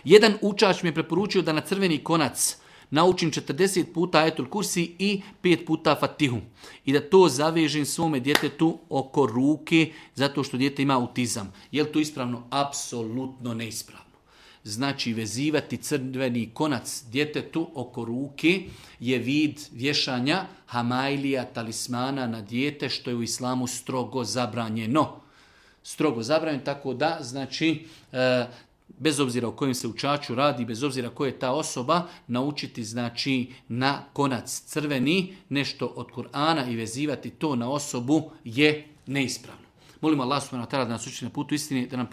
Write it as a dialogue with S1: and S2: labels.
S1: Jedan učač mi je preporučio da na crveni konac naučim 40 puta Ajetul Kursi i 5 puta Fatihu. I da to zavežem svome djetetu oko ruke, zato što dijete ima autizam. Je li to ispravno? Apsolutno neispravno. Znači, vezivati crveni konac djetetu oko ruke je vid vješanja hamajlija, talismana na dijete, što je u islamu strogo zabranjeno. Strogo zabranjeno, tako da, znači, bez obzira o kojem se učaču radi, bez obzira ko je ta osoba, naučiti znači na konac crveni nešto od Kur'ana i vezivati to na osobu je neispravno. Molimo Allah subhanahu wa ta'ala da nas uči na putu istine, da nam